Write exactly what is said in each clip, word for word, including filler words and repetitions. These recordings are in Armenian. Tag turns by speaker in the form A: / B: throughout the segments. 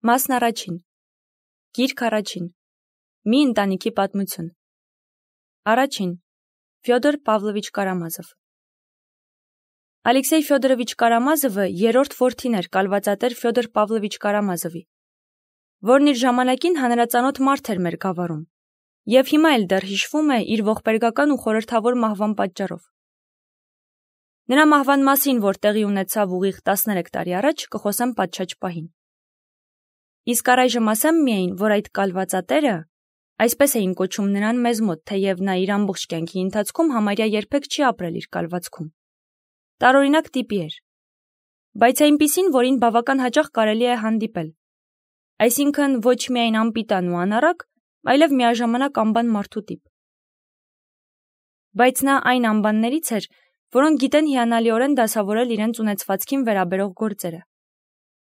A: Մասն առաջին։ Գիրք առաջին։ Մի ընտանիքի պատմություն։ Առաջին։ Ֆյոդոր Պավլովիչ Կարամազով։ Ալեքսեյ Ֆյոդորովիչ Կարամազովը երրորդ որդին էր կալվածատեր Ֆյոդոր Պավլովիչ Կարամազովի, որն իր ժամանակին հանրածանոթ մարդ էր մեր գավառում, և հիմա էլ դեռ հիշվում է իր ողբերգական ու խորհրդավոր մահվան պատճառով։ Նրա մահվան մասին, որ տեղի ունեցավ ուղիղ տասներեք տարի առաջ, կխոսեմ պատշաճ պահին։ Իսկ առայժմ ասեմ միայն, որ այդ կալվածատերը, այսպես էին կոչում նրան մեզ մոտ, թեև նա իր ամբողջ կյանքի ընթացքում համարյա երբեք չի ապրել իր կալվածքում, տարօրինակ տիպի էր, բայց այնպիսին, որին բավական հաճախ կարելի է հանդիպել, այսինքն ոչ միայն անպիտան ու անառակ, այլև միաժամանակ անբան մարդու տիպ։ Բայց նա այն անբաններից էր, որոնք գիտեն հիանալիորեն դասավորել իրենց ունեցվածքին վերաբերող գործերը,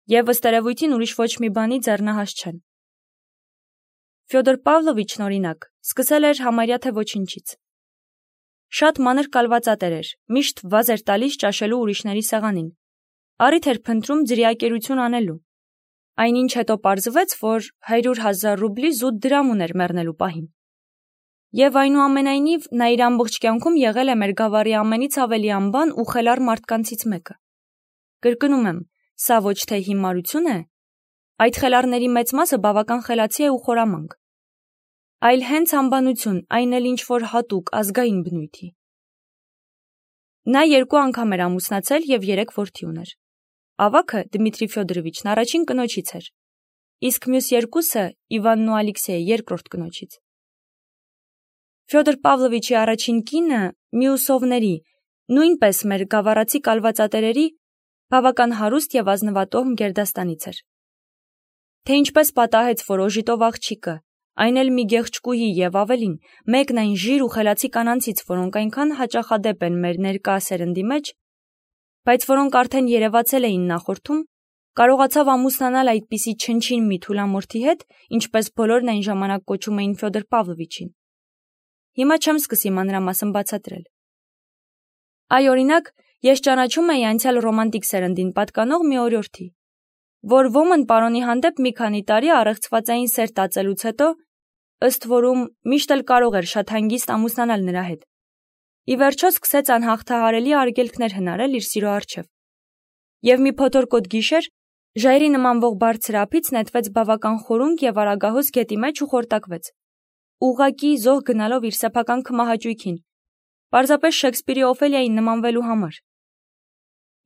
A: և ըստ երևույթին ուրիշ ոչ մի բանի ձեռնահաս չեն։ Ֆյոդոր Պավլովիչն, օրինակ, սկսել էր համարյա թե ոչինչից։ Շատ մանր կալվածատեր էր, միշտ վազ էր տալիս ճաշելու ուրիշների սեղանին, առիթ էր փնտրում ձրիակերություն անելու, այնինչ հետո պարզվեց, որ հարյուր հազար ռուբլի զուտ դրամ ուներ մեռնելու պահին։ Եվ այնուամենայնիվ նա իր ամբողջ կյանքում եղել է մեր գավառի ամենից ավելի անբան ու խելառ մարդկանցից մեկը։ Կրկնում եմ, սա ոչ թե հիմարություն է, այդ խելառների մեծ մասը բավական խելացի է ու խորամանկ, այլ հենց անբանություն, այն էլ ինչ-որ հատուկ, ազգային բնույթի։ Նա երկու անգամ էր ամուսնացել և երեք որդի ուներ։ Ավագը Դմիտրի Ֆյոդորովիչն առաջին կնոջից էր, իսկ մյուս երկուսը Իվանն ու Ալեքսեյը երկրորդ կնոջից։ Ֆյոդոր Պավլովիչի առաջին կինը Միուսովների, նույնպես մեր գավառացի կալվածատերերի, բավական հարուստ և ազնվատոհմ գերդաստանից էր։ Թե ինչպես պատահեց, որ օժիտով աղջիկը, այն էլ մի գեղեցկուհի և ավելին, մեկն այն ժիր ու խելացի կանանցից, որոնք այնքան հաճախադեպ են մեր ներկա սերնդի մեջ, բայց որոնք արդեն երևացել էին նախորդում, կարողացավ ամուսնանալ այդպիսի չնչին մի թուլամորթի հետ, ինչպես բոլորն այն ժամանակ կոչում էին Ֆյոդոր Պավլովիչին։ Հիմա չեմ սկսի մանրամասն բացատրել։ Այ, օրինակ, ես ճանաչում էի անցյալ ռոմանտիկ սերնդին պատկանող մի օրիորդի, որ ոմն պարոնի հանդեպ մի քանի տարի առեղծվածային սեր տածելուց հետո, ըստ որում միշտ էլ կարող էր շատ հանգիստ ամուսնանալ նրա հետ, ի վերջո սկսեց անհաղթահարելի արգելքներ հնարել իր սիրո առջև, և մի փոթորկոտ գիշեր ժայռի նմանվող բարձր ափից նետվեց բավական խորունկ և արագահոս գետի մեջ ու խորտակվեց, ուղղակի զոհ գնալով իր սեփական քմահաճույքին, պարզապես Շեքսպիրի Օֆելիային նմանվելու համար։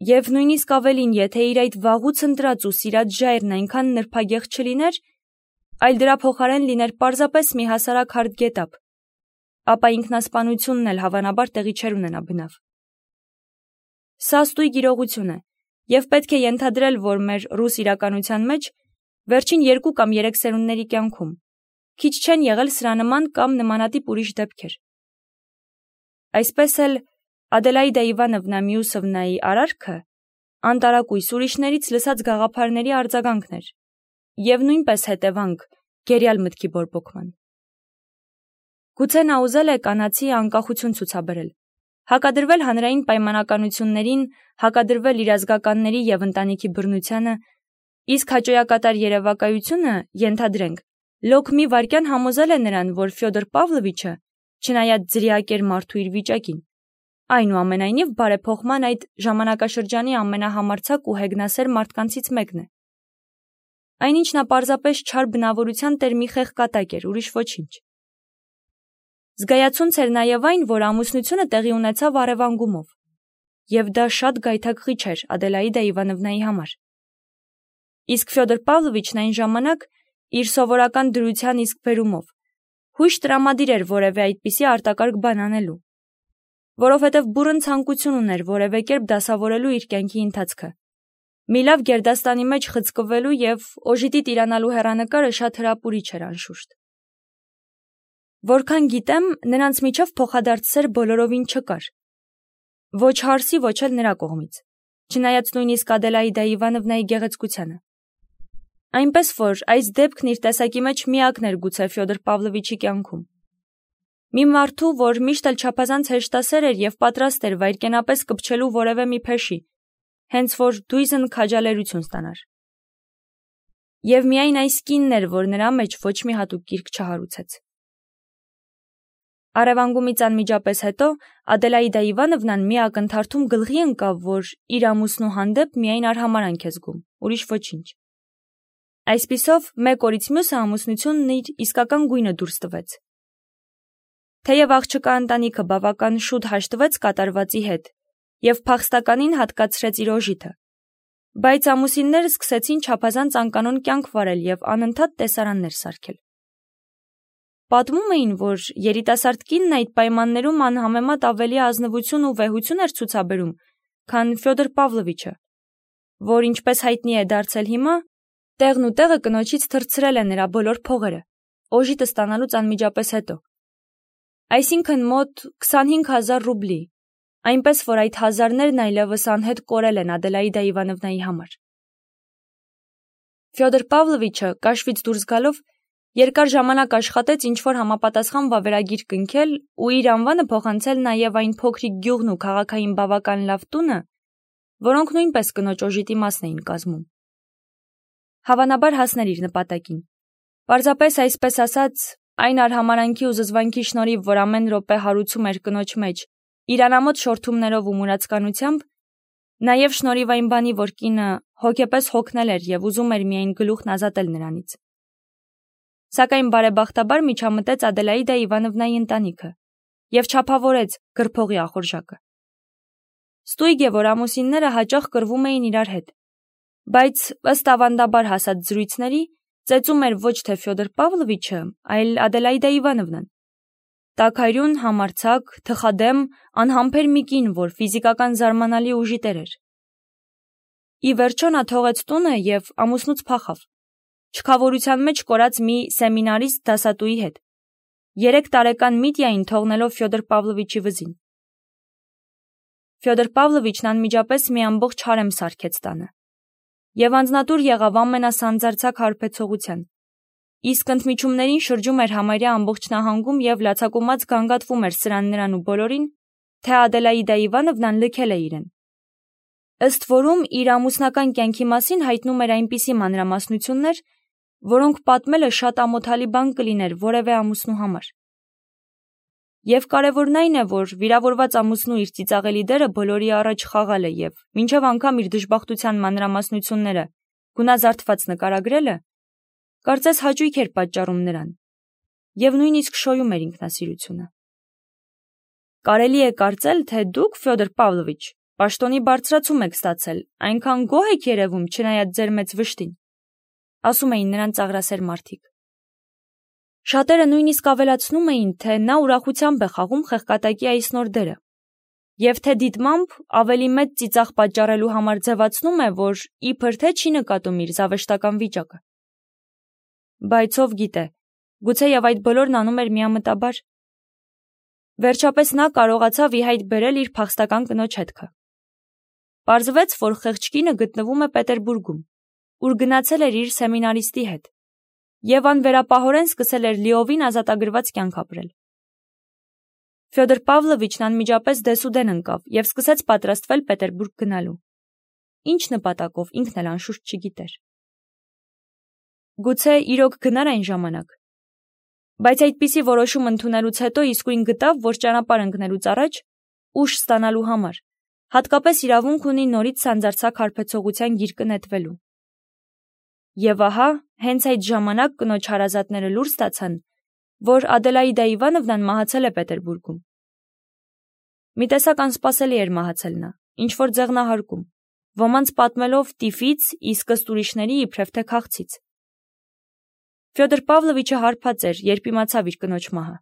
A: Եվ նույնիսկ ավելին, եթե իր այդ վաղուց ընտրած ու սիրած ժայռն այնքան նրբագեղ չլիներ, այլ դրա փոխարեն լիներ պարզապես մի հասարակ հարթ գետափ, ապա ինքնասպանությունն էլ հավանաբար տեղի չէր ունենա բնավ։ Սա ստույգ իրողություն է, և պետք է ենթադրել, որ մեր ռուս իրականության մեջ վերջին երկու կամ երեք սերունդների կյանքում քիչ չեն եղել սրանման կամ նմանատիպ ուրիշ դեպքեր։ Այսպես էլ Ադելաիդա Իվանովնա Միուսովնայի արարքը անտարակույս ուրիշներից լսած գաղափարների արձագանքն էր և նույնպես հետևանք գերյալ մտքի բորբոքման։ Գուցե նա ուզել է կանացի անկախություն ցուցաբերել, հակադրվել հանրային պայմանականություններին, հակադրվել իր ազգականների և ընտանիքի բռնությանը, իսկ հաճոյակատար երևակայությունը, ենթադրենք, լոկ մի վայրկյան համոզել է նրան, որ Ֆյոդոր Պավլովիչը, չնայած ձրիակեր մարդու իր վիճակին, այնուամենայնիվ բարեփոխման այդ ժամանակաշրջանի ամենահամարձակ ու հեգնասեր մարդկանցից մեկն է։ Այնինչ նա պարզապես չար բնավորության տեր մի խեղկատակ էր, ուրիշ ոչինչ։ Զգայացունց էր նաև այն, որ ամուսնությունը տեղի ունեցավ առևանգումով, և դա շատ գայթակղիչ էր Ադելաիդա Իվանովնայի համար։ Իսկ Ֆյոդոր Պավլովիչն այն ժամանակ, իր սովորական դրության իսկ բերումով, հույժ տրամադիր էր որևէ այդպիսի արտակարգ բան անելու, որովհետև բուռն ցանկություն ուներ որևէ կերպ դասավորելու իր կյանքի ընթացքը, մի լավ գերդաստանի մեջ խցկվելու և օժիտի տիրանալու հեռանկարը շատ հրապուրիչ էր անշուշտ։ Որքան գիտեմ, նրանց միջև փոխադարձ սեր բոլորովին չկար, ոչ հարսի, ոչ էլ նրա կողմից, չնայած նույնիսկ Ադելաիդա Իվանովնայի գեղեցկությանը։ Այնպես որ այս դեպքն իր տեսակի մեջ միակն էր գուցե Ֆյոդոր Պավլովիչի կյանքում։ Մի մարդու, որ միշտ էլ չափազանց հեշտասեր էր և պատրաստ էր վայրկենապես կպչելու որևէ մի փեշի, հենց որ դույզն քաջալերություն ստանար։ Եվ միայն այս կինն էր, որ նրա մեջ ոչ մի հատուկ գիրք չհարուցեց։ Առևանգումից անմիջապես հետո Ադելաիդա Իվանովնան մի ակնթարթում գլխի ընկավ, որ իր ամուսնու հանդեպ միայն արհամարանք է զգում, ուրիշ ոչինչ։ Այսպիսով, մեկ օրից մյուսը ամուսնությունն իր իսկական գույնը դուրս տվեց։ Թեև աղջկա ընտանիքը բավական շուտ հաշտվեց կատարվածի հետ և փախստականին հատկացրեց իր օժիթը, բայց ամուսինները սկսեցին չափազանց անկանոն կյանք վարել և անընդհատ տեսարաններ սարքել։ Պատմում էին, որ երիտասարդ կինն այդ պայմաններում անհամեմատ ավելի ազնվություն ու վեհություն էր ցուցաբերում, քան Ֆյոդոր Պավլովիչը, որ ինչպես հայտնի է դարձել հիմա, տեղն ու տեղը կնոջից թռցրել է նրա բոլոր փողերը, օժիտը ստանալուց անմիջապես հետո։ Այսինքն մոտ քսանհինգ հազար ռուբլի, այնպես որ այդ հազարներն այլևս անհետ կորել են Ադելաիդա Իվանովնայի համար։ Ֆյոդոր Պավլովիչը կաշվից դուրս գալով երկար ժամանակ աշխատեց ինչ-որ համապատասխան վավերագիր կնքել ու իր անվանը փոխանցել նաև այն փոքրիկ գյուղն ու քաղաքային բավական լավ տունը, որոնք նույնպես կնոջ օժիտի մասն էին կազմում։ Հավանաբար հասներ իր նպատակին։ Պարզապես այսպես ասած, այն արհամարանքի ու զզվանքի շնորհիվ, որ ամեն րոպե հարուցում էր կնոջ մեջ, իր անամոթ շորթումներով ու մուրացկանությամբ, նաև շնորհիվ այն բանի, որ կինը հոգեպես հոգնել էր և ուզում էր միայն գլուխն ազատել նրանից։ Սակայն բարեբախտաբար միջամտեց Ադելաիդա Իվանովնայի ընտանիքը և չափավորեց գրփողի ախորժակը։ Ստույգ է, որ ամուսինները հաճախ կռվում էին իրար հետ, բայց ըստ ավանդաբար հասած զրույցների, ծեծում էր ոչ թե Ֆյոդոր Պավլովիչը, այլ Ադելաիդա Իվանովնան։ Տաքարյուն, համարձակ, թխադեմ, անհամբեր մի կին, որ ֆիզիկական զարմանալի ուժի տեր էր։ Ի վերջո նա թողեց տունը և ամուսնուց փախավ, չքավորության մեջ կորած մի սեմինարիստ դասատուի հետ, երեք տարեկան Միտյային թողնելով Ֆյոդոր Պավլովիչի վզին։ Ֆյոդոր Պավլովիչն անմիջապես մի ամբողջ հարեմ սարքեց տանը և անձնատուր եղավ ամենասանձարձակ հարբեցողության, իսկ ընդմիջումներին շրջում էր համարյա ամբողջ նահանգում և լացակումած գանգատվում էր սրան նրան ու բոլորին, թե Ադելաիդա Իվանովնան լքել է իրեն։ Ըստ որում իր ամուսնական կյանքի մասին հայտնում էր այնպիսի մանրամասնություններ, որոնք պատմելը շատ ամոթալի բան կլիներ որևէ ամուսնու համար։ Եվ կարևորն այն է, որ վիրավորված ամուսնու իր ծիծաղելի դերը բոլորի առաջ խաղալը և մինչև անգամ իր դժբախտության մանրամասնությունները գունազարդված նկարագրելը, կարծես հաճույք էր պատճառում նրան և նույնիսկ շոյում էր ինքնասիրությունը։ Կարելի է կարծել, թե դուք, Ֆյոդոր Պավլովիչ, պաշտոնի բարձրացում եք ստացել, այնքան գոհ եք երևում, չնայած ձեր մեծ վշտին, ասում էին նրան ծաղրասեր մարդիկ։ Շատերը նույնիսկ ավելացնում էին, թե նա ուրախությամբ է խաղում խեղկատակի այս նոր դերը, և թե դիտմամբ ավելի մեծ ծիծաղ պատճառելու համար ձևացնում է, որ իբր թե չի նկատում իր զավեշտական վիճակը։ Բայց ով գիտե, գուցեև այդ բոլորն անում էր միամտաբար։ Վերջապես նա կարողացավ ի հայտ բերել իր փախստական կնոջ հետքը։ Պարզվեց, որ խեղճ կինը գտնվում է Պետերբուրգում, ուր գնացել էր իր սեմինարիստի հետ, և անվերապահորեն սկսել էր լիովին ազատագրված կյանք ապրել։ Ֆյոդոր Պավլովիչն անմիջապես դեսուդեն ընկավ և սկսեց պատրաստվել Պետերբուրգ գնալու։ Ինչ նպատակով, ինքն էլ անշուշտ չգիտեր։ Գուցե իրոք գնար այն ժամանակ, բայց այդպիսի որոշում ընդունելուց հետո իսկույն գտավ, որ ճանապարհ ընկնելուց առաջ ուժ ստանալու համար հատկապես իրավունք ունի նորից սանձարձակ հարբեցողության գիրկը նետվելու։ Եվ ահա, հենց այդ ժամանակ կնոջ հարազատները լուր ստացան, որ Ադելաիդա Իվանովնան մահացել է Պետերբուրգում։ Մի տեսակ անսպասելի էր մահացել նա, ինչ-որ ձեղնահարկում, ոմանց պատմելով տիֆից, իսկ ըստ ուրիշների իբրև թե քաղցից։ Ֆյոդոր Պավլովիչը հարբած էր, երբ իմացավ իր կնոջ մահը։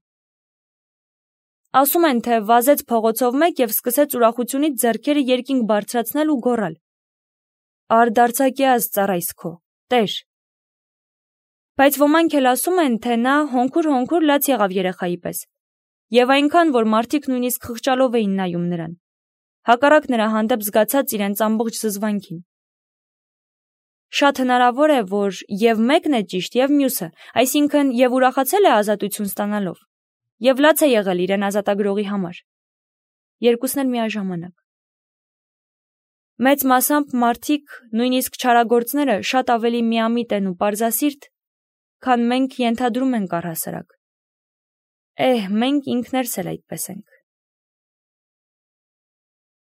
A: Ասում են, թե վազեց փողոցով մեկ և սկսեց ուրախությունից ձեռքերը երկինք բարձրացնել ու գոռալ. «Արդարձակյաց ծառայս քո, Տեր»։ Բայց ոմանք էլ ասում են, թե նա հոնքուր-հոնքուր լաց եղավ երեխայի պես, և այնքան, որ մարդիկ նույնիսկ խղճալով էին նայում նրան, հակառակ նրա հանդեպ զգացած իրենց ամբողջ զզվանքին։ Շատ հնարավոր է, որ և մեկն է ճիշտ, և մյուսը, այսինքն և ուրախացել է ազատություն ստանալով, և լաց է եղել իրեն ազատագրողի համար։ Երկուսն էլ միաժամանակ։ Մեծ մասամբ մարդիկ, նույնիսկ չարագործները, շատ ավելի միամիտ են ու պարզասիրտ, քան մենք ենթադրում ենք առհասարակ։ Էհ, մենք ինքներս էլ այդպես ենք։